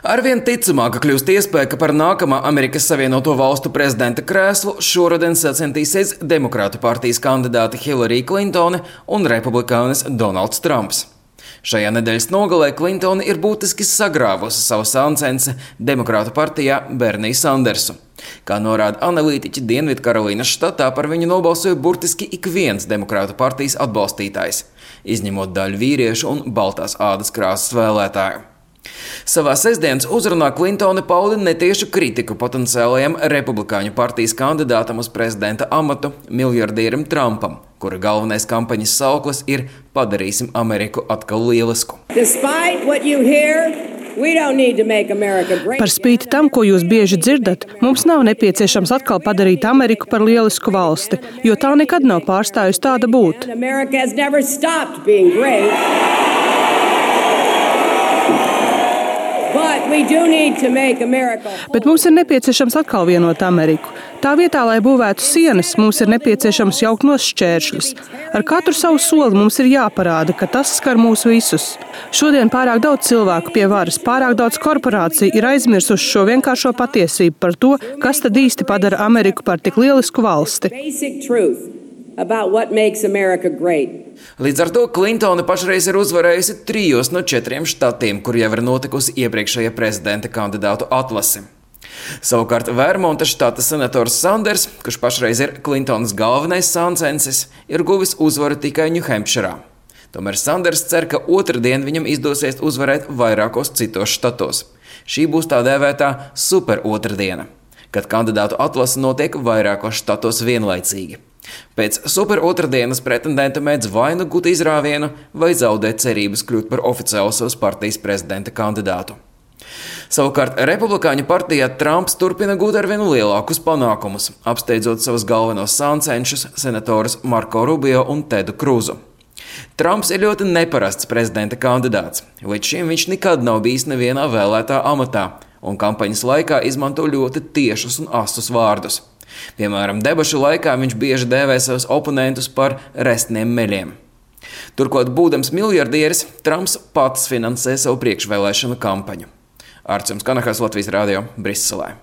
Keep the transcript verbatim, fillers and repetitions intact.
Arvien ticamāka kļūst iespēja, ka par nākamā Amerikas Savienoto Valstu prezidenta krēslu šoruden sacenstīsies Demokrātu partijas kandidāti Hillary Clintone un republikānis Donalds Trumps. Šajā nedēļas nogalē Clintone ir būtiski sagrāvusi savu sāncensi Demokrātu partijā Berniju Sandersu. Kā norāda analītiķi, Dienvidkarolīnas štatā par viņu nobalsoja burtiski ik viens Demokrātu partijas atbalstītājs, izņemot daļu vīriešu un baltās ādas krāsas vēlētāju. Savā sestdienas uzrunā Clintone pauda netiešu kritiku potenciālajam republikāņu partijas kandidātam uz prezidenta amatu miljardierim Trumpam, kura galvenais kampaņas sauklis ir "Padarīsim Ameriku atkal lielisku". Par spīti tam, ko jūs bieži dzirdat, mums nav nepieciešams atkal padarīt Ameriku par lielisku valsti, jo tā nekad nav pārstājusi tāda būt. Bet mums ir nepieciešams atkal vienot Ameriku. Tā vietā, lai būvētu sienas, mums ir nepieciešams jaukt nost šķēršļus. Ar katru savu soli mums ir jāparāda, ka tas skar mūs visus. Šodien pārāk daudz cilvēku pie varas, pārāk daudz korporāciju ir aizmirsuši šo vienkāršo patiesību par to, kas tad īsti padara Ameriku par tik lielisku valsti. Līdz ar to Clintone pašreiz ir uzvarējusi trijos no četriem štatiem, kur jau ir notikusi iepriekšējā prezidenta kandidātu atlase. Savukārt Vermonta štata senators Sanders, kurš pašreiz ir Clintonas galvenais sāncensis, ir guvis uzvaru tikai Ņūhempširā. Tomēr Sanders cer, ka otrdien viņam izdosies uzvarēt vairākos citos štatos. Šī būs tā dēvētā super otrdiena, kad kandidātu atlase notiek vairākos štatos vienlaicīgi. Pēc super otrdienas pretendenta mēdz vai nu gūt izrāvienu, vai zaudēt cerības kļūt par oficiālu savas partijas prezidenta kandidātu. Savukārt republikāņu partijā Trumps turpina gūt arvien lielākus panākumus, apsteidzot savus galvenos sāncenšus senatorus Marko Rubio un Tedu Kruzu. Trumps ir ļoti neparasts prezidenta kandidāts. Līdz šim viņš nekad nav bijis nevienā vēlētā amatā, un kampaņas laikā izmanto ļoti tiešus un asus vārdus. Piemēram, debašu laikā viņš bieži dēvē savus oponentus par restniem meļiem. Turklāt, būdams miljardieris, Trumps pats finansē savu priekšvēlēšanu kampaņu. Arts Kanahas, Latvijas radio, Briselē.